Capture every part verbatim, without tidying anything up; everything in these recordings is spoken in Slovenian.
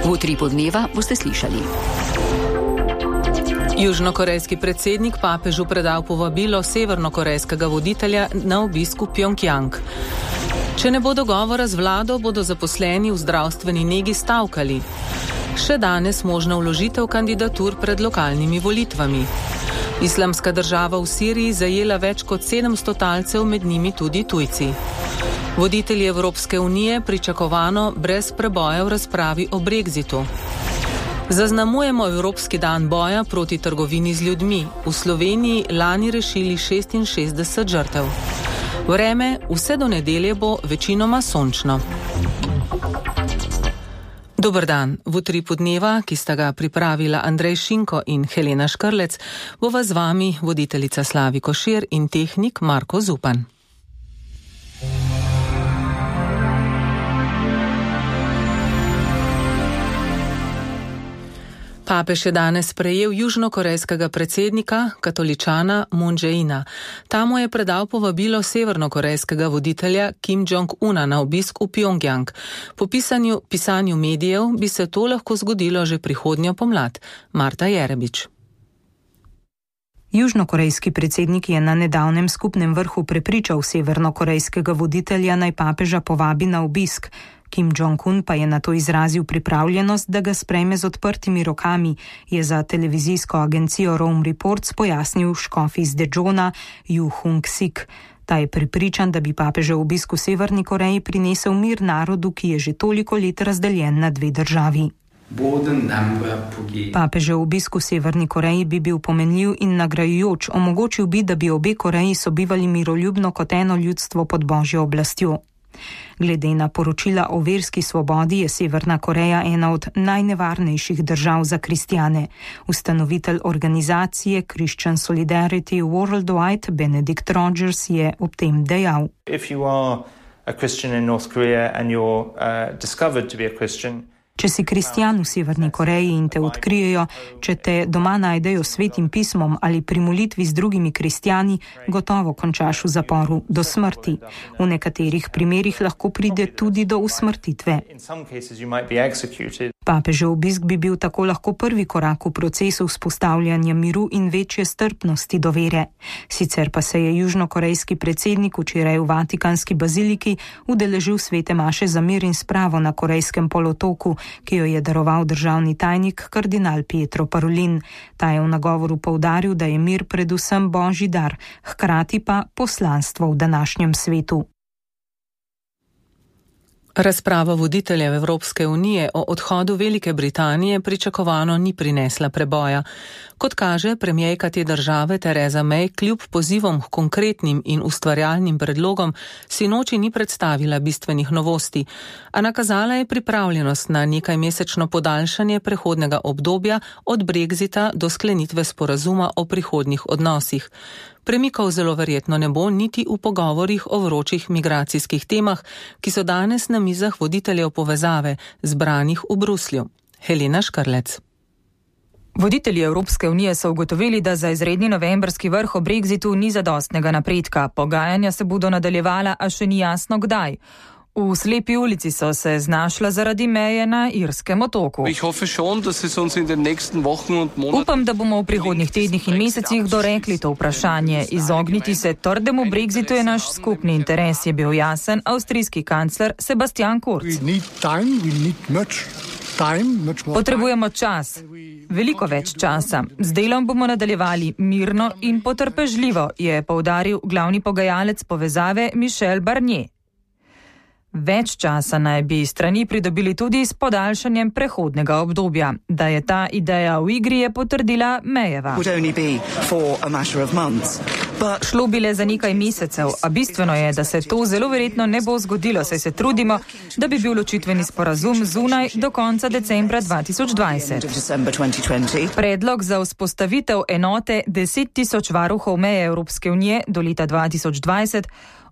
V utripu dneva boste slišali. Južnokorejski predsednik papežu predal povabilo severnokorejskega voditelja na obisk v Pjongjang. Če ne bo dogovora z vlado, bodo zaposleni v zdravstveni negi stavkali. Še danes možna vložitev kandidatur pred lokalnimi volitvami. Islamska država v Siriji zajela več kot sedemsto talcev, med njimi tudi tujci. Voditelji Evropske unije pričakovano brez preboja v razpravi o Brexitu. Zaznamujemo Evropski dan boja proti trgovini z ljudmi. V Sloveniji lani rešili šestinšestdeset žrtev. Vreme vse do nedelje bo večinoma sončno. Dober dan. V utripu dneva, ki sta ga pripravila Andrej Šinko in Helena Škrlec, bova z vami voditeljica Slavi Košir in tehnik Marko Zupan. Papež je danes sprejel južnokorejskega predsednika, katoličana Moon Jae-ina. Ta mu je predal povabilo severnokorejskega voditelja Kim Jong-una na obisk v Pjongjang. Po pisanju, pisanju medijev bi se to lahko zgodilo že prihodnjo pomlad. Marta Jerebič. Južnokorejski predsednik je na nedavnem skupnem vrhu prepričal severnokorejskega voditelja, naj papeža povabi na obisk. Kim Jong-un pa je na to izrazil pripravljenost, da ga sprejme z odprtimi rokami, je za televizijsko agencijo Rome Reports pojasnil škof iz Dejona Ju Hung-sik. Ta je prepričan, da bi papežev obisk v Severni Koreji prinesel mir narodu, ki je že toliko let razdeljen na dve državi. Papežev obisk v Severni Koreji bi bil pomenljiv in nagrajujoč, omogočil bi, da bi obe Koreji sobivali miroljubno kot eno ljudstvo pod božjo oblastjo. Glede na poročila o verski svobodi je Severna Koreja ena od najnevarnejših držav za kristjane. Ustanovitelj organizacije Christian Solidarity Worldwide Benedict Rogers je ob tem dejal: If you are a Christian in North Korea and you're uh, discovered to be a Christian, Če si kristjan v Severni Koreji in te odkrijejo, če te doma najdejo s svetim pismom ali pri molitvi z drugimi kristjani, gotovo končaš v zaporu do smrti. V nekaterih primerih lahko pride tudi do usmrtitve. Papežev obisk bi bil tako lahko prvi korak v procesu vzpostavljanja miru in večje strpnosti do vere. Sicer pa se je južnokorejski predsednik včeraj v Vatikanski baziliki udeležil svete maše za mir in spravo na Korejskem polotoku, ki jo je daroval državni tajnik kardinal Pietro Parolin. Ta je v nagovoru poudaril, da je mir predvsem božji dar, hkrati pa poslanstvo v današnjem svetu. Razprava voditeljev Evropske unije o odhodu Velike Britanije pričakovano ni prinesla preboja. Kot kaže, premierka te države Theresa May kljub pozivom k konkretnim in ustvarjalnim predlogom sinoči ni predstavila bistvenih novosti, a nakazala je pripravljenost na nekajmesečno podaljšanje prehodnega obdobja od Brexita do sklenitve sporazuma o prihodnjih odnosih. Premikov zelo verjetno ne bo niti v pogovorih o vročih migracijskih temah, ki so danes na mizah voditeljev povezave, zbranih v Bruslju. Helena Škrlec. Voditelji Evropske unije so ugotovili, da za izredni novembrski vrh o Brexitu ni zadostnega napredka. Pogajanja se bodo nadaljevala, a še ni jasno kdaj. V slepi ulici so se znašla zaradi meje na Irskem otoku. Upam, da bomo v prihodnjih tednih in mesecih dorekli to vprašanje. Izogniti se trdemu Brexitu je naš skupni interes, je bil jasen avstrijski kancler Sebastian Kurz. Potrebujemo čas, veliko več časa. Z delom bomo nadaljevali mirno in potrpežljivo, je poudaril glavni pogajalec povezave Michel Barnier. Več časa naj bi strani pridobili tudi s podaljšanjem prehodnega obdobja. Da je ta ideja v igri, je potrdila Mayeva. Šlo bi le za nekaj mesecev, a bistveno je, da se to zelo verjetno ne bo zgodilo, saj se trudimo, da bi bil ločitveni sporazum zunaj do konca decembra dva tisoč dvajset. Predlog za vzpostavitev enote deset tisoč varuhov meje Evropske unije do leta dva tisoč dvajset,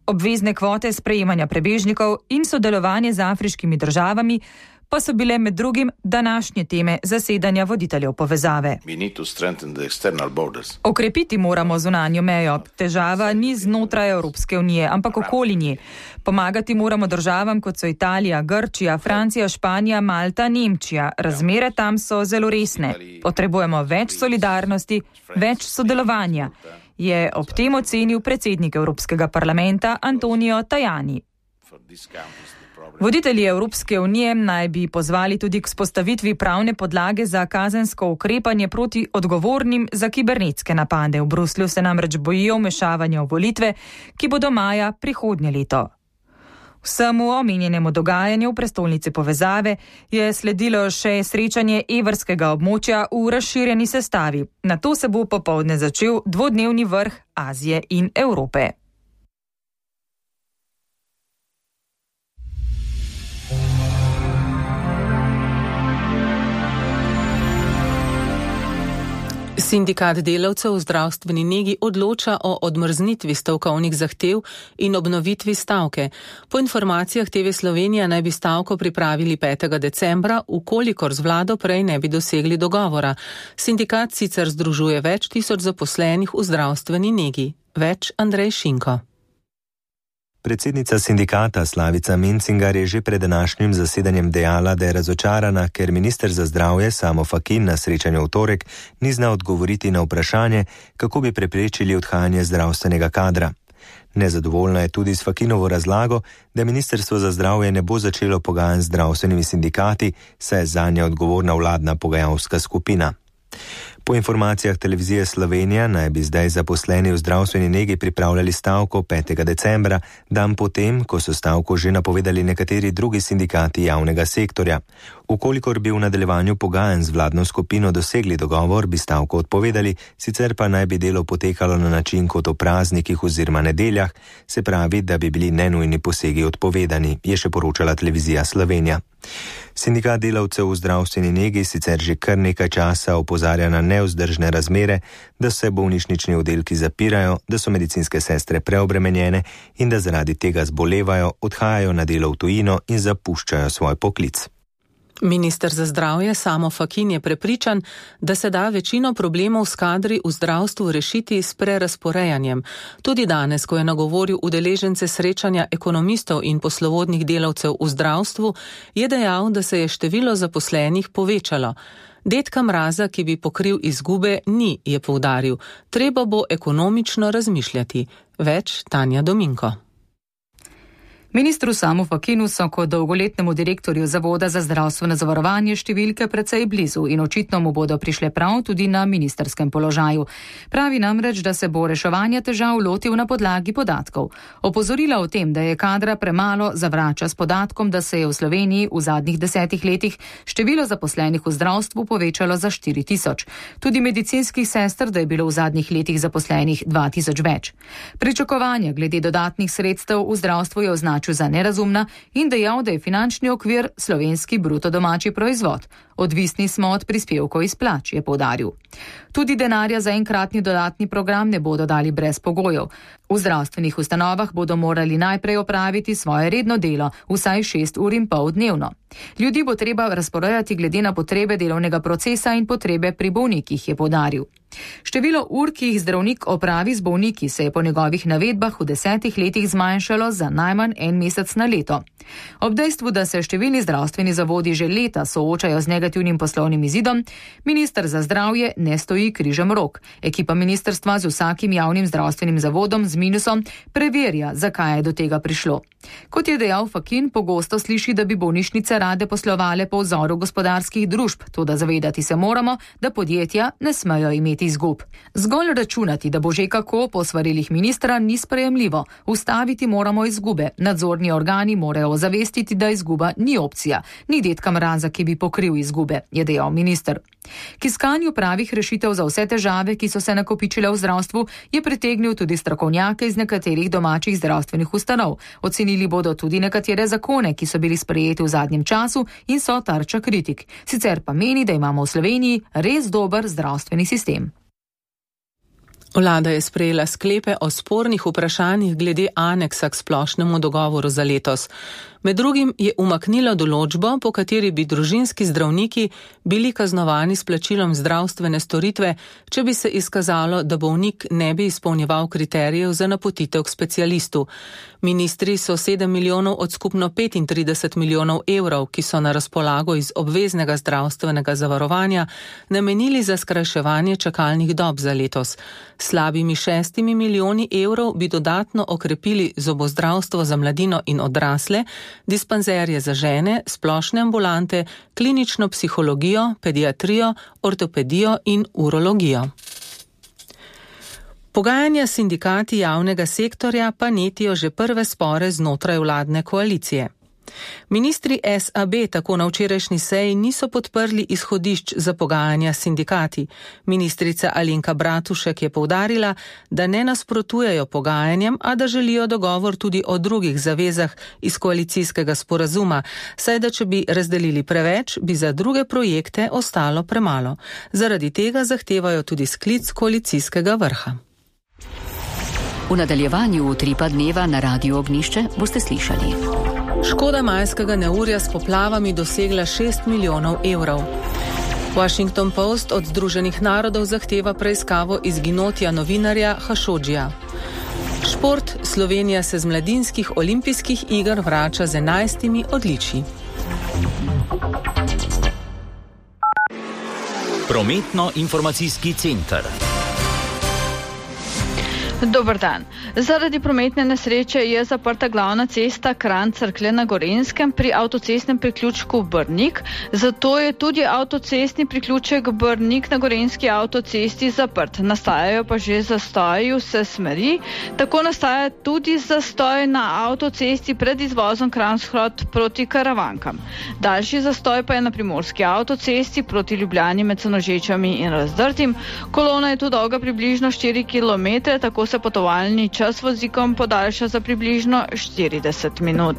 obvezne kvote sprejemanja prebežnikov in sodelovanje z afriškimi državami pa so bile med drugim današnje teme zasedanja voditeljev povezave. Okrepiti moramo zunanjo mejo. Težava ni znotraj Evropske unije, ampak okoli nje. Pomagati moramo državam, kot so Italija, Grčija, Francija, Španija, Malta, Nemčija. Razmere tam so zelo resne. Potrebujemo več solidarnosti, več sodelovanja, je ob tem ocenil predsednik Evropskega parlamenta Antonio Tajani. Voditelji Evropske unije naj bi pozvali tudi k vzpostavitvi pravne podlage za kazensko ukrepanje proti odgovornim za kibernetske napade. V Bruslju se namreč bojijo vmešavanja v volitve, ki bodo maja prihodnje leto. Vsemu omenjenemu dogajanju v prestolnici povezave je sledilo še srečanje evrskega območja v razširjeni sestavi. Nato se bo popoldne začel dvodnevni vrh Azije in Evrope. Sindikat delavcev v zdravstveni negi odloča o odmrznitvi stavkovnih zahtev in obnovitvi stavke. Po informacijah T V Slovenija naj bi stavko pripravili petega decembra, ukolikor z vlado prej ne bi dosegli dogovora. Sindikat sicer združuje več tisoč zaposlenih v zdravstveni negi. Več Andrej Šinko. Predsednica sindikata Slavica Mencingar je že pred današnjim zasedanjem dejala, da je razočarana, ker minister za zdravje Samo Fakin na srečanju v torek ni znal odgovoriti na vprašanje, kako bi preprečili odhajanje zdravstvenega kadra. Nezadovoljna je tudi s Fakinovo razlago, da ministrstvo za zdravje ne bo začelo pogajanj z zdravstvenimi sindikati, saj je zanje odgovorna vladna pogajalska skupina. Po informacijah televizije Slovenija naj bi zdaj zaposleni v zdravstveni negi pripravljali stavko petega decembra, dan potem, ko so stavko že napovedali nekateri drugi sindikati javnega sektorja. Ukolikor bi v nadaljevanju pogajanj z vladno skupino dosegli dogovor, bi stavko odpovedali, sicer pa naj bi delo potekalo na način kot o praznikih oziroma nedeljah, se pravi, da bi bili nenujni posegi odpovedani, je še poročala televizija Slovenija. Sindikat delavcev v zdravstveni negi sicer že kar nekaj časa opozarja na nevzdržne razmere, da se bolnišnični oddelki zapirajo, da so medicinske sestre preobremenjene in da zaradi tega zbolevajo, odhajajo na delo v tujino in zapuščajo svoj poklic. Minister za zdravje Samo Fakin je prepričan, da se da večino problemov s kadri v zdravstvu rešiti s prerasporejanjem. Tudi danes, ko je nagovoril udeležence srečanja ekonomistov in poslovodnih delavcev v zdravstvu, je dejal, da se je število zaposlenih povečalo. Dedka mraza, ki bi pokril izgube, ni, je poudaril. Treba bo ekonomično razmišljati. Več Tanja Dominko. Ministru Samu Fakinu so kot dolgoletnemu direktorju Zavoda za zdravstveno zavarovanje številke precej blizu in očitno mu bodo prišle prav tudi na ministrskem položaju. Pravi namreč, da se bo reševanja težav lotil na podlagi podatkov. Opozorila o tem, da je kadra premalo, zavrača s podatkom, da se je v Sloveniji v zadnjih desetih letih število zaposlenih v zdravstvu povečalo za štiri tisoč. Tudi medicinskih sester, da je bilo v zadnjih letih zaposlenih dva tisoč več. Pričakovanja glede dodatnih sredstev v zdravstvu je označil za nerazumna in dejal, da je finančni okvir slovenski bruto domači proizvod. Odvisni smo od prispevkov iz plač, je poudaril. Tudi denarja za enkratni dodatni program ne bodo dali brez pogojev. V zdravstvenih ustanovah bodo morali najprej opraviti svoje redno delo, vsaj šest ur in pol dnevno. Ljudi bo treba razporejati glede na potrebe delovnega procesa in potrebe pri bolnikih, je poudaril. Število ur, ki jih zdravnik opravi z bolniki, se je po njegovih navedbah v desetih letih zmanjšalo za najmanj en mesec na leto. Ob dejstvu, da se številni zdravstveni zavodi že leta soočajo z negativnim poslovnim izidom, minister za zdravje ne stoji križem rok. Ekipa ministrstva z vsakim javnim zdravstvenim zavodom z minusom preverja, zakaj je do tega prišlo. Kot je dejal Fakin, pogosto sliši, da bi bolnišnice rade poslovale po vzoru gospodarskih družb, toda zavedati se moramo, da podjetja ne smejo imeti izgub. Zgolj računati, da bo že kako po svarilih ministra, ni sprejemljivo. Ustaviti moramo izgube. Nadzorni organi morajo ozavestiti, da izguba ni opcija. Ni dedka mraza, ki bi pokril izgube, je dejal minister. K iskanju pravih rešitev za vse težave, ki so se nakopičile v zdravstvu, je pritegnil tudi strokovnjake iz nekaterih domačih zdravstvenih ustanov. Ocenili bodo tudi nekatere zakone, ki so bili sprejeti v zadnjem času in so tarča kritik. Sicer pa meni, da imamo v Sloveniji res dober zdravstveni sistem. Vlada je sprejela sklepe o spornih vprašanjih glede aneksa k splošnemu dogovoru za letos. Med drugim je umaknilo določbo, po kateri bi družinski zdravniki bili kaznovani s plačilom zdravstvene storitve, če bi se izkazalo, da bolnik ne bi izpolnjeval kriterijev za napotitev k specialistu. Ministri so sedem milijonov od skupno petintrideset milijonov evrov, ki so na razpolago iz obveznega zdravstvenega zavarovanja, namenili za skrajševanje čakalnih dob za letos. Slabimi šestimi milijoni evrov bi dodatno okrepili zobozdravstvo za mladino in odrasle, dispanzerje za žene, splošne ambulante, klinično psihologijo, pediatrijo, ortopedijo in urologijo. Pogajanja s sindikati javnega sektorja pa netijo že prve spore znotraj vladne koalicije. Ministri S A B tako na včerajšnji seji niso podprli izhodišč za pogajanja s sindikati. Ministrica Alenka Bratušek je poudarila, da ne nasprotujejo pogajanjem, a da želijo dogovor tudi o drugih zavezah iz koalicijskega sporazuma, saj da če bi razdelili preveč, bi za druge projekte ostalo premalo. Zaradi tega zahtevajo tudi sklic koalicijskega vrha. V nadaljevanju utripa dneva na Radiu Ognišče boste slišali. Škoda majskega neurja s poplavami dosegla šest milijonov evrov. Washington Post od Združenih narodov zahteva preiskavo izginotja novinarja Hašodžija. Šport. Slovenija se z mladinskih olimpijskih iger vrača z enajstimi odličji. Prometno-informacijski center. Dober dan. Zaradi prometne nesreče je zaprta glavna cesta Kranj-Cerklje na Gorenjskem pri avtocestnem priključku Brnik, zato je tudi avtocestni priključek Brnik na Gorenjski avtocesti zaprt. Nastajajo pa že zastoji vse smeri, tako nastaja tudi zastoj na avtocesti pred izvozom Kranj-Shod proti Karavankam. Daljši zastoj pa je na primorski avtocesti proti Ljubljani med Senožečami in Razdrtim. Kolona je tu dolga približno štiri kilometre, tako se potovalni čas vozikom podaljša za približno štirideset minut.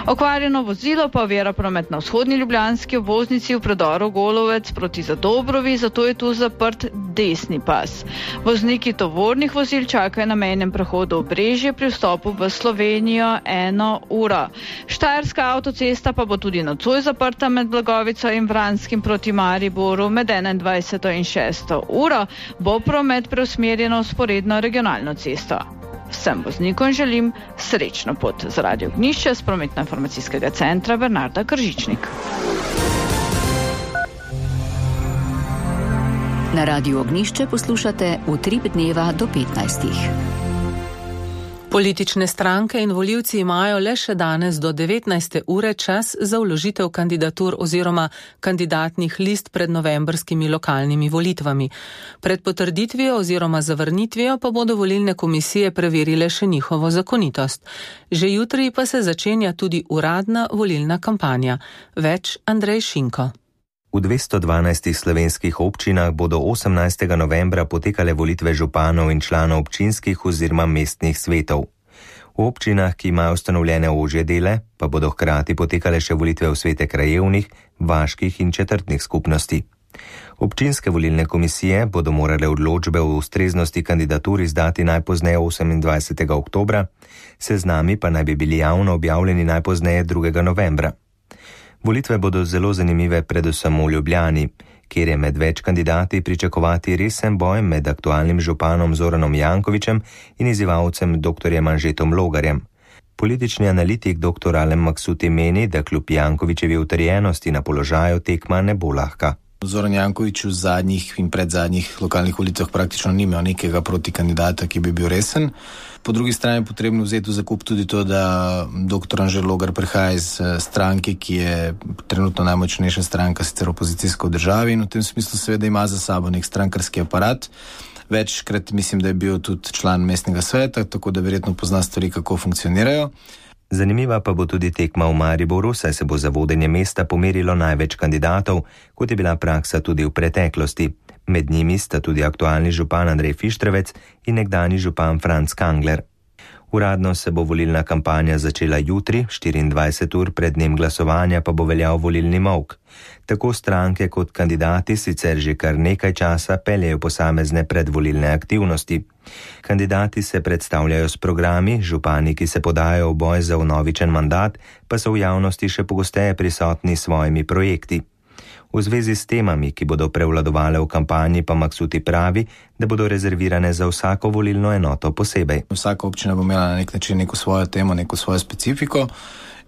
Okvarjeno vozilo pa ovira promet na vzhodni ljubljanski obvoznici v predoru Golovec proti Zadobrovi, zato je tu zaprt desni pas. Vozniki tovornih vozil čakajo na mejnem prehodu Obrežje pri vstopu v Slovenijo eno uro. Štajerska avtocesta pa bo tudi nocoj zaprta med Blagovico in Vranskim proti Mariboru med enaindvajseto in šesto uro, bo promet preusmerjen v vzporedno regionalno cesto. Vsem voznikom želim srečno pot. Z Radio Ognišče z prometno-informacijskega centra Bernarda Kržičnik. Na Radiu Ognišče poslušate Utrip dneva do petnajstih. Politične stranke in volivci imajo le še danes do devetnajste ure čas za vložitev kandidatur oziroma kandidatnih list pred novembrskimi lokalnimi volitvami. Pred potrditvijo oziroma zavrnitvijo pa bodo volilne komisije preverile še njihovo zakonitost. Že jutri pa se začenja tudi uradna volilna kampanja. Več Andrej Šinko. V dvesto dvanajstih slovenskih občinah bodo osemnajstega novembra potekale volitve županov in članov občinskih oziroma mestnih svetov. V občinah, ki imajo ustanovljene ožje dele, pa bodo hkrati potekale še volitve v svete krajevnih, vaških in četrtnih skupnosti. Občinske volilne komisije bodo morale odločbe o ustreznosti kandidatur izdati najpozneje osemindvajsetega oktobra, seznami pa naj bi bili javno objavljeni najpozneje drugega novembra. Volitve bodo zelo zanimive predvsem v Ljubljani, kjer je med več kandidati pričakovati resen boj med aktualnim županom Zoranom Jankovićem in izzivalcem doktorjem Anžetom Logarjem. Politični analitik doktor Alen Maksuti meni, da kljub Jankovićevi utrjenosti na položaju tekma ne bo lahka. Zoran Janković v zadnjih in predzadnjih lokalnih volitvah praktično ni imel nekega protikandidata, ki bi bil resen. Po drugi strani je potrebno vzeti v zakup tudi to, da doktor Anže Logar prihaja iz stranke, ki je trenutno najmočnejša stranka, sicer opozicijska v državi, in v tem smislu seveda ima za sabo nek strankarski aparat. Večkrat mislim, da je bil tudi član mestnega sveta, tako da verjetno pozna stvari, kako funkcionirajo. Zanimiva pa bo tudi tekma v Mariboru, saj se bo za vodenje mesta pomerilo največ kandidatov, kot je bila praksa tudi v preteklosti. Med njimi sta tudi aktualni župan Andrej Fištrevec in nekdani župan Franc Kangler. Uradno se bo volilna kampanja začela jutri, štiriindvajset ur pred dnem glasovanja pa bo veljal volilni molk. Tako stranke kot kandidati sicer že kar nekaj časa peljejo posamezne predvolilne aktivnosti. Kandidati se predstavljajo s programi, župani, ki se podajo v boj za vnovičen mandat, pa so v javnosti še pogosteje prisotni s svojimi projekti. V zvezi s temami, ki bodo prevladovale v kampanji, pa Maksuti pravi, da bodo rezervirane za vsako volilno enoto posebej. Vsaka občina bo imela na nek način neko svojo temo, neko svojo specifiko.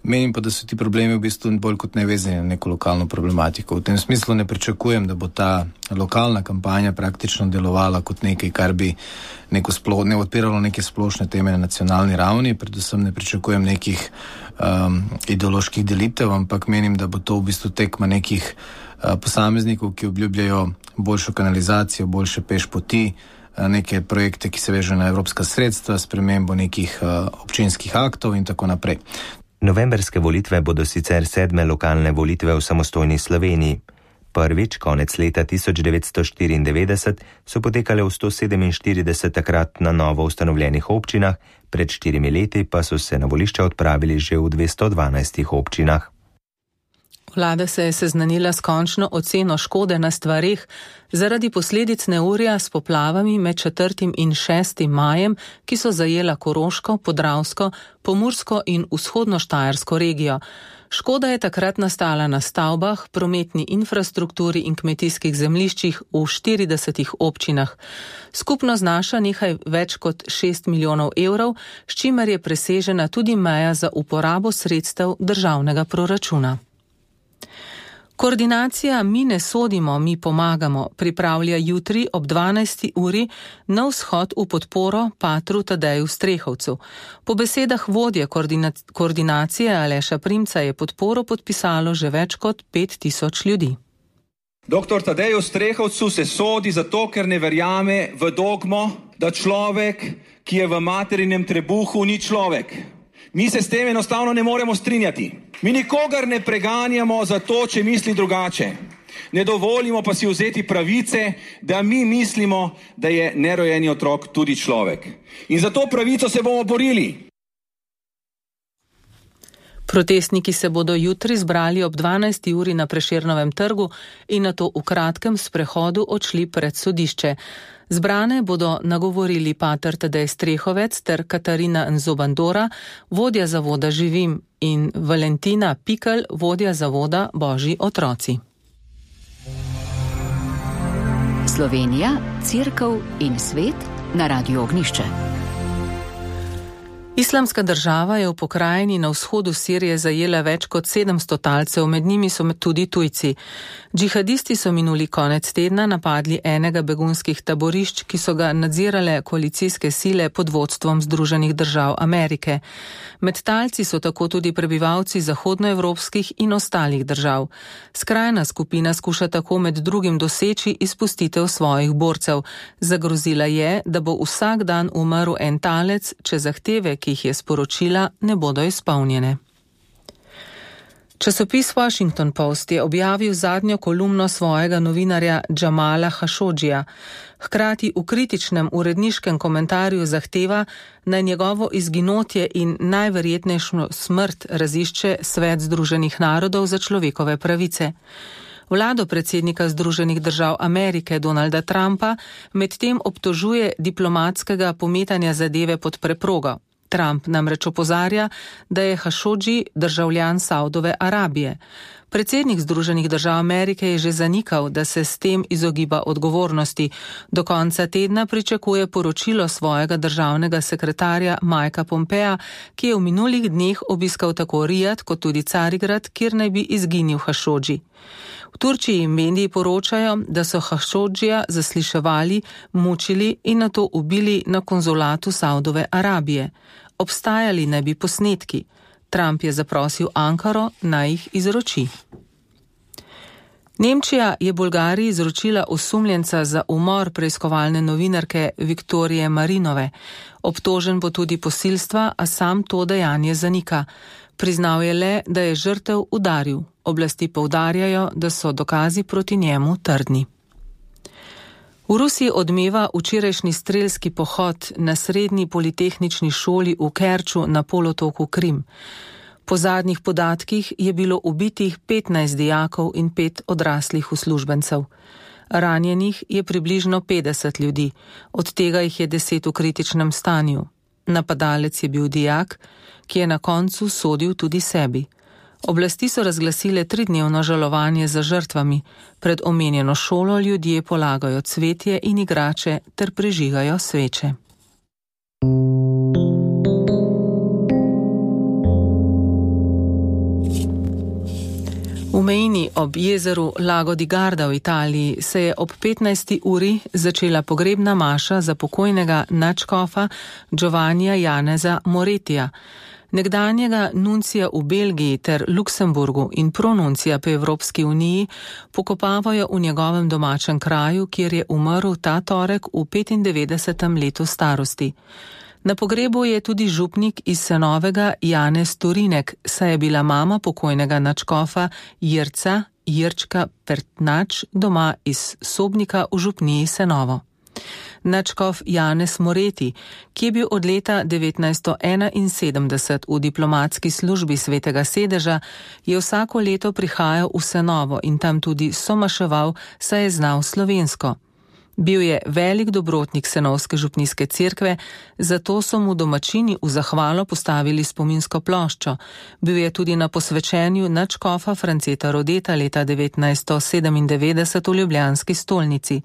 Menim pa, da so ti problemi v bistvu bolj kot ne vezani na neko lokalno problematiko. V tem smislu ne pričakujem, da bo ta lokalna kampanja praktično delovala kot nekaj, kar bi neko splo, ne odpiralo neke splošne teme na nacionalni ravni. Predvsem ne pričakujem nekih um, ideoloških delitev, ampak menim, da bo to v bistvu tekma nekih uh, posameznikov, ki obljubljajo boljšo kanalizacijo, boljše peš poti, uh, neke projekte, ki se vežejo na evropska sredstva, spremembo nekih uh, občinskih aktov in tako naprej. Novemberske volitve bodo sicer sedme lokalne volitve v samostojni Sloveniji. Prvič, konec leta tisoč devetsto štiriindevetdeset, so potekale v sto sedeminštirideset takrat na novo ustanovljenih občinah, pred štirimi leti pa so se na volišča odpravili že v dvesto dvanajstih občinah. Vlada se je seznanila s končno oceno škode na stvareh zaradi posledic neurja s poplavami med četrtim in šestim majem, ki so zajela Koroško, Podravsko, Pomursko in vzhodno Štajersko regijo. Škoda je takrat nastala na stavbah, prometni infrastrukturi in kmetijskih zemljiščih v štiridesetih občinah. Skupno znaša nekaj več kot šest milijonov evrov, s čimer je presežena tudi meja za uporabo sredstev državnega proračuna. Koordinacija Mi ne sodimo, mi pomagamo pripravlja jutri ob dvanajsti uri na vzhod v podporo patru Tadeju Strehovcu. Po besedah vodje koordina- koordinacije Aleša Primca je podporo podpisalo že več kot pet tisoč ljudi. Doktor Tadeju Strehovcu se sodi zato, ker ne verjame v dogmo, da človek, ki je v materinem trebuhu, ni človek. Mi se s tem enostavno ne moremo strinjati. Mi nikogar ne preganjamo za to, če misli drugače. Ne dovolimo pa si vzeti pravice, da mi mislimo, da je nerojeni otrok tudi človek. In za to pravico se bomo borili. Protestniki se bodo jutri zbrali ob dvanajsti uri na Prešernovem trgu in nato v kratkem sprehodu odšli pred sodišče. Zbrane bodo nagovorili pater Tadej Strehovec ter Katarina Nzobandora, vodja zavoda Živim, in Valentina Pikl, vodja zavoda Božji otroci. Slovenija, Cerkev in svet na Radiu Ognišče. Islamska država je v pokrajini na vzhodu Sirije zajela več kot sedemsto talcev, med njimi so tudi tujci. Džihadisti so minuli konec tedna napadli enega begunskih taborišč, ki so ga nadzirale koalicijske sile pod vodstvom Združenih držav Amerike. Med talci so tako tudi prebivalci zahodnoevropskih in ostalih držav. Skrajna skupina skuša tako med drugim doseči izpustitev svojih borcev. Zagrozila je, da bo vsak dan umrl en talec, če zahteve, ki jih je sporočila, ne bodo izpolnjene. Časopis Washington Post je objavil zadnjo kolumno svojega novinarja Džamala Hašodžija. Hkrati v kritičnem uredniškem komentarju zahteva, naj njegovo izginotje in najverjetnejšo smrt razišče Svet Združenih narodov za človekove pravice. Vlado predsednika Združenih držav Amerike Donalda Trumpa medtem obtožuje diplomatskega pometanja zadeve pod preprogo. Trump namreč opozarja, da je Hašodži državljan Saudove Arabije. Predsednik Združenih držav Amerike je že zanikal, da se s tem izogiba odgovornosti. Do konca tedna pričakuje poročilo svojega državnega sekretarja Mikea Pompea, ki je v minulih dneh obiskal tako Rijad kot tudi Carigrad, kjer naj bi izginil Hašodži. V Turčiji mediji poročajo, da so Hašodžija zasliševali, mučili in nato ubili na konzulatu Saudove Arabije. Obstajali naj bi posnetki. Trump je zaprosil Ankaro, naj jih izroči. Nemčija je Bolgariji izročila osumljenca za umor preiskovalne novinarke Viktorije Marinove. Obtožen bo tudi posilstva, a sam to dejanje zanika. Priznal je le, da je žrtev udaril. Oblasti poudarjajo, da so dokazi proti njemu trdni. V Rusiji odmeva včerajšnji strelski pohod na srednji politehnični šoli v Kerču na polotoku Krim. Po zadnjih podatkih je bilo ubitih petnajst dijakov in pet odraslih uslužbencev. Ranjenih je približno petdeset ljudi, od tega jih je deset v kritičnem stanju. Napadalec je bil dijak, ki je na koncu sodil tudi sebi. Oblasti so razglasile tridnevno žalovanje za žrtvami. Pred omenjeno šolo ljudje polagajo cvetje in igrače ter prižigajo sveče. V Mejni ob jezeru Lago di Garda v Italiji se je ob petnajsti uri začela pogrebna maša za pokojnega nadškofa Giovannija Janeza Moretija, nekdanjega nuncija v Belgiji ter Luksemburgu in pronuncija po Evropski uniji, pokopavajo v njegovem domačem kraju, kjer je umrl ta torek v petindevetdesetem letu starosti. Na pogrebu je tudi župnik iz Senovega Janez Turinek, saj je bila mama pokojnega nadškofa Jirca, Jirčka Pertnač, doma iz Sobnika v župniji Senovo. Nadškof Janez Moreti, ki je bil od leta devetnajststo enainsedemdeset v diplomatski službi Svetega sedeža, je vsako leto prihajal v Senovo in tam tudi somaševal, saj je znal slovensko. Bil je velik dobrotnik Senovske župnijske cerkve, zato so mu domačini v zahvalo postavili spominsko ploščo. Bil je tudi na posvečenju nadškofa Franceta Rodeta leta devetnajststo sedemindevetdeset v ljubljanski stolnici.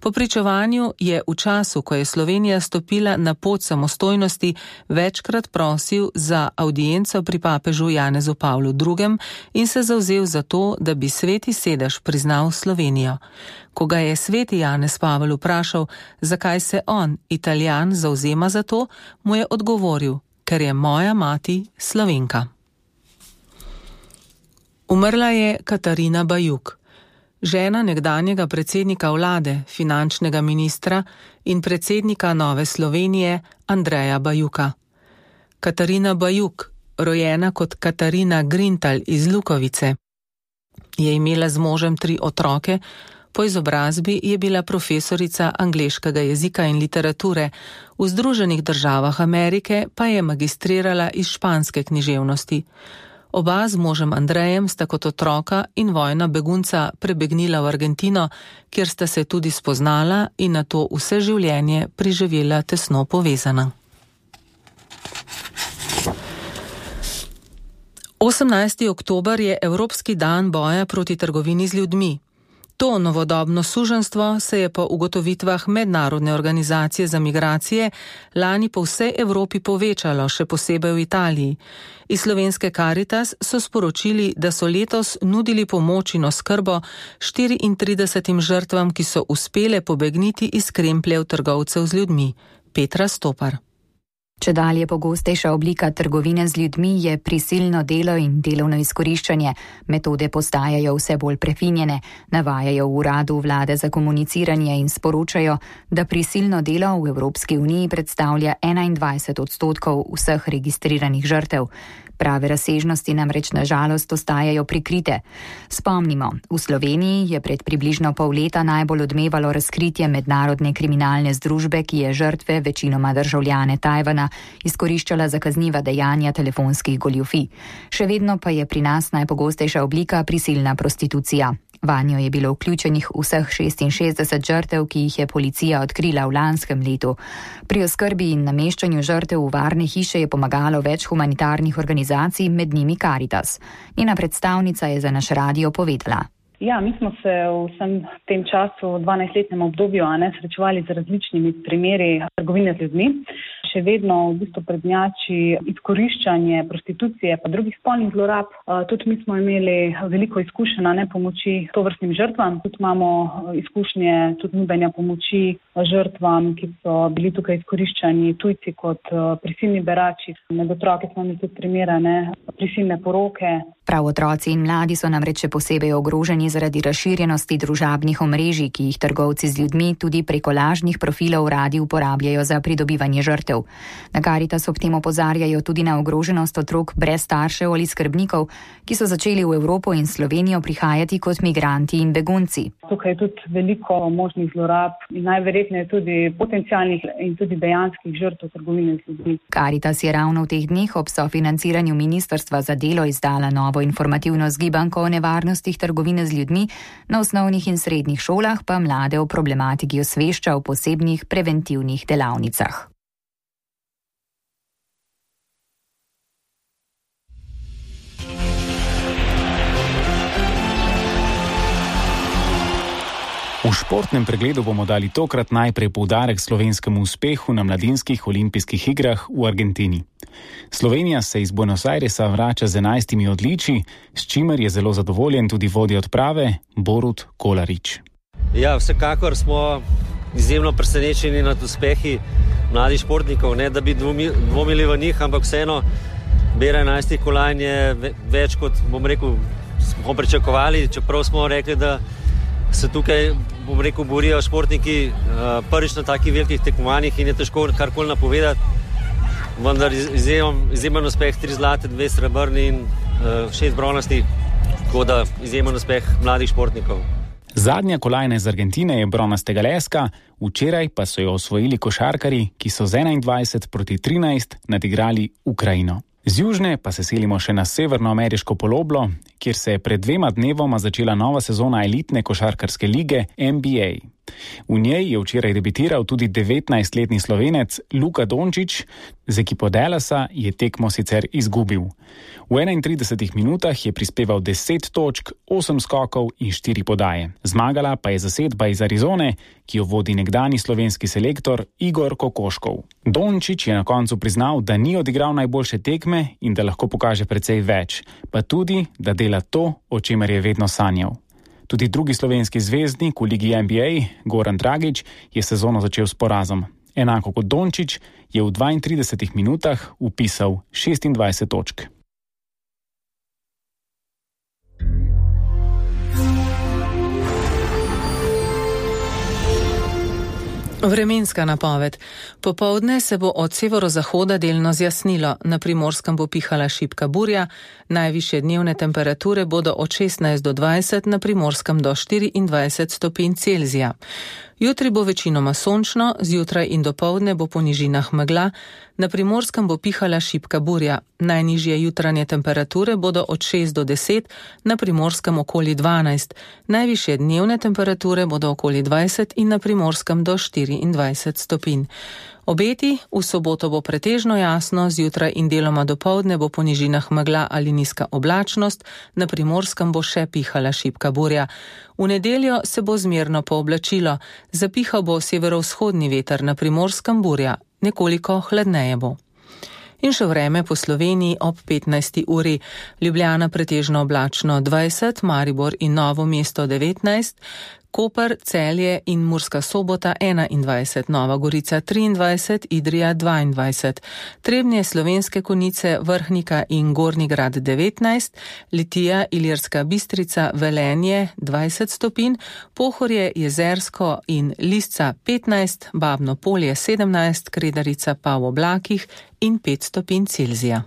Po pričevanju je v času, ko je Slovenija stopila na pot samostojnosti, večkrat prosil za avdienco pri papežu Janezu Pavlu drugem in se zavzel za to, da bi Sveti sedež priznal Slovenijo. Ko ga je sveti Janez Pavel vprašal, zakaj se on, Italijan, zavzema za to, mu je odgovoril, ker je moja mati Slovenka. Umrla je Katarina Bajuk, žena nekdanjega predsednika vlade, finančnega ministra in predsednika Nove Slovenije Andreja Bajuka. Katarina Bajuk, rojena kot Katarina Grintal iz Lukovice, je imela z možem tri otroke. Po izobrazbi je bila profesorica angleškega jezika in literature, v Združenih državah Amerike pa je magistrirala iz španske književnosti. Oba z možem Andrejem sta kot otroka in vojna begunca prebegnila v Argentino, kjer sta se tudi spoznala in nato vse življenje preživela tesno povezana. osemnajsti oktober je Evropski dan boja proti trgovini z ljudmi. To novodobno suženjstvo se je po ugotovitvah Mednarodne organizacije za migracije lani po vsej Evropi povečalo, še posebej v Italiji. Iz slovenske Caritas so sporočili, da so letos nudili pomoč in oskrbo štiriintridesetim žrtvam, ki so uspele pobegniti iz krempljev trgovcev z ljudmi. Petra Stopar. Čedalje pogostejša oblika trgovine z ljudmi je prisilno delo in delovno izkoriščanje. Metode postajajo vse bolj prefinjene, navajajo v uradu vlade za komuniciranje in sporočajo, da prisilno delo v Evropski uniji predstavlja enaindvajset odstotkov vseh registriranih žrtev. Prave razsežnosti namreč na žalost ostajajo prikrite. Spomnimo, v Sloveniji je pred približno pol leta najbolj odmevalo razkritje mednarodne kriminalne združbe, ki je žrtve, večinoma državljane Tajvana, izkoriščala za kazniva dejanja telefonskih goljufij. Še vedno pa je pri nas najpogostejša oblika prisilna prostitucija. Vanjo je bilo vključenih vseh šestinšestdeset žrtev, ki jih je policija odkrila v lanskem letu. Pri oskrbi in nameščanju žrtev v varne hiše je pomagalo več humanitarnih organizacij, med njimi Caritas. Njena predstavnica je za naš radio povedala. Ja, mi smo se v vsem tem času, v dvanajstletnem obdobju, a ne, srečevali z različnimi primeri trgovine z ljudmi. Še vedno v bistvu prednjači izkoriščanje, prostitucije pa drugih spolnih zlorab. Tudi mi smo imeli veliko izkušenj na ne pomoči tovrstnim žrtvam. Tudi imamo izkušnje tudi nudenja pomoči žrtvam, ki so bili tukaj izkoriščani tujci kot prisilni berači. Med otroke smo imeli tudi primere, ne, prisilne poroke. Prav otroci in mladi so namreč še posebej ogroženi zaradi razširjenosti družabnih omrežij, ki jih trgovci z ljudmi tudi preko lažnih profilov radi uporabljajo za pridobivanje žrtev. Na Karitas ob tem opozarjajo tudi na ogroženost otrok brez staršev ali skrbnikov, ki so začeli v Evropo in Slovenijo prihajati kot migranti in begunci. Tukaj je tudi veliko možnih zlorab in najverjetneje tudi potencialnih in tudi dejanskih žrtev trgovine z ljudmi. Karitas je ravno v teh dneh ob sofinanciranju Ministrstva za delo izdala novo informativno zgibanko o nevarnostih trgovine z ljudmi, na osnovnih in srednjih šolah pa mlade o problematiki osvešča v posebnih preventivnih delavnicah. V športnem pregledu bomo dali tokrat najprej poudarek slovenskemu uspehu na mladinskih olimpijskih igrah v Argentini. Slovenija se iz Buenos Airesa vrača z enajstimi odličji, s čimer je zelo zadovoljen tudi vodja odprave Borut Kolarič. Ja, vsekakor smo izjemno presenečeni nad uspehi mladih športnikov, ne da bi dvomili v njih, ampak vseeno bera enajstih kolajn je več kot, bom rekel, smo pričakovali, čeprav smo rekli, da se tukaj, bom rekel, borijo športniki prvič na takih velikih tekmovanjih in je težko karkoli napovedati, vendar izjemen, izjemen uspeh, tri zlate, dve srebrni in šest bronastih, tako da izjemen uspeh mladih športnikov. Zadnja kolajna iz Argentine je bronastega leska, včeraj pa so jo osvojili košarkarji, ki so z enaindvajset proti trinajst nadigrali Ukrajino. Z južne pa se selimo še na severnoameriško poloblo, kjer se je pred dvema dnevoma začela nova sezona elitne košarkarske lige N B A. V njej je včeraj debitiral tudi devetnajstletni Slovenec Luka Dončić, z ekipo Dallasa je tekmo sicer izgubil. V enaintridesetih minutah je prispeval deset točk, osem skokov in štiri podaje. Zmagala pa je zasedba iz Arizone, ki jo vodi nekdani slovenski selektor Igor Kokoškov. Dončić je na koncu priznal, da ni odigral najboljše tekme in da lahko pokaže precej več, pa tudi, da dela to, o čemer je vedno sanjal. Tudi drugi slovenski zvezdnik v ligi N B A, Goran Dragić, je sezono začel s porazom. Enako kot Dončić je v dvaintridesetih minutah vpisal šestindvajset točk. Vremenska napoved. Popoldne se bo od severozahoda delno zjasnilo, na Primorskem bo pihala šibka burja, najvišje dnevne temperature bodo od šestnajst do dvajset, na Primorskem do štiriindvajset stopinj Celzija. Jutri bo večinoma sončno, zjutraj in dopoldne bo po nižinah megla, na Primorskem bo pihala šibka burja. Najnižje jutranje temperature bodo od šest do deset, na Primorskem okoli dvanajst. Najvišje dnevne temperature bodo okoli dvajset in na Primorskem do štiriindvajset stopinj. Obeti, v soboto bo pretežno jasno, zjutraj in deloma dopoldne bo po nižinah megla ali nizka oblačnost, na Primorskem bo še pihala šibka burja. V nedeljo se bo zmerno pooblačilo, zapihal bo severovzhodni veter, na Primorskem burja, nekoliko hladneje bo. In še vreme po Sloveniji ob petnajsti uri. Ljubljana pretežno oblačno dvajset, Maribor in Novo mesto devetnajst, Koper, Celje in Murska Sobota enaindvajset, Nova Gorica triindvajset, Idrija dvaindvajset, Trebnje, Slovenske Konjice, Vrhnika in Gornji Grad devetnajst, Litija, Ilirska Bistrica, Velenje dvajset stopinj, Pohorje, Jezersko in Lisca petnajst, Babno Polje sedemnajst, Kredarica pa v oblakih in pet stopinj Celzija.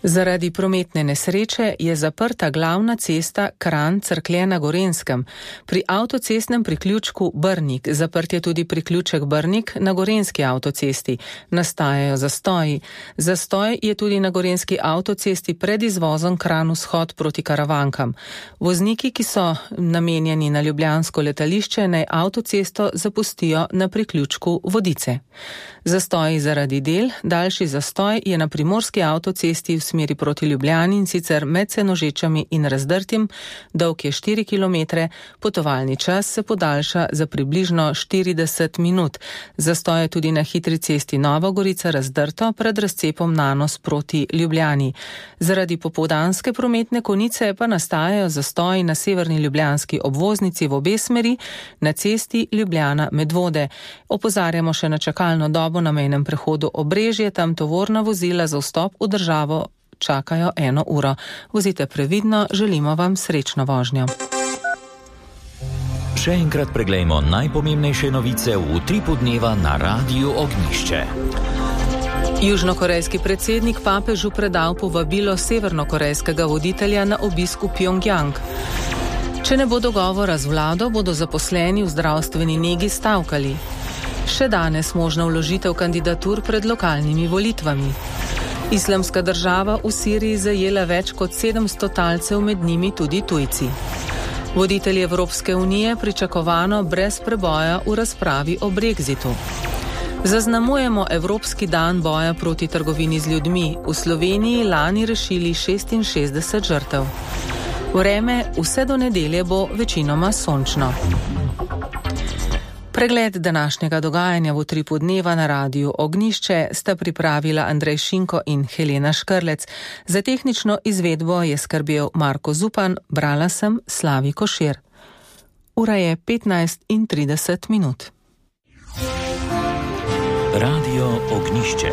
Zaradi prometne nesreče je zaprta glavna cesta Kranj-Cerklje na Gorenjskem. Pri avtocestnem priključku Brnik zaprt je tudi priključek Brnik na gorenjski avtocesti. Nastajajo zastoji. Zastoj je tudi na gorenjski avtocesti pred izvozom Kranj-Vzhod proti Karavankam. Vozniki, ki so namenjeni na ljubljansko letališče, naj avtocesto zapustijo na priključku Vodice. Zastoji zaradi del, daljši zastoj je na primorski avtocesti v smeri proti Ljubljani in sicer med Senožečami in Razdrtim, dolg je štiri kilometre, potovalni čas se podaljša za približno štirideset minut. Zastoj je tudi na hitri cesti Nova Gorica Razdrto pred razcepom Nanos proti Ljubljani. Zaradi popoldanske prometne konice pa nastajajo zastoji na severni ljubljanski obvoznici v obe smeri, na cesti Ljubljana-Medvode. Opozarjamo še na čakalno dobo na mejnem prehodu Obrežje, tam tovorna vozila za vstop v državo čakajo eno uro. Vozite previdno, želimo vam srečno vožnjo. Še enkrat preglejmo najpomembnejše novice v utripu dneva na Radiu Ognišče. Južnokorejski predsednik papežu predal povabilo severnokorejskega voditelja na obisk v Pjongjang. Če ne bo dogovora z vlado, bodo zaposleni v zdravstveni negi stavkali. Še danes možna vložitev kandidatur pred lokalnimi volitvami. Islamska država v Siriji zajela več kot sedemsto talcev, med njimi tudi tujci. Voditelji Evropske unije pričakovano brez preboja v razpravi o Brexitu. Zaznamujemo Evropski dan boja proti trgovini z ljudmi. V Sloveniji lani rešili šestinšestdeset žrtev. Vreme vse do nedelje bo večinoma sončno. Pregled današnjega dogajanja v utripu dneva na Radiu Ognišče sta pripravila Andrej Šinko in Helena Škrlec. Za tehnično izvedbo je skrbel Marko Zupan, brala sem Slavi Košir. Ura je petnajst in trideset minut. Radio Ognišče.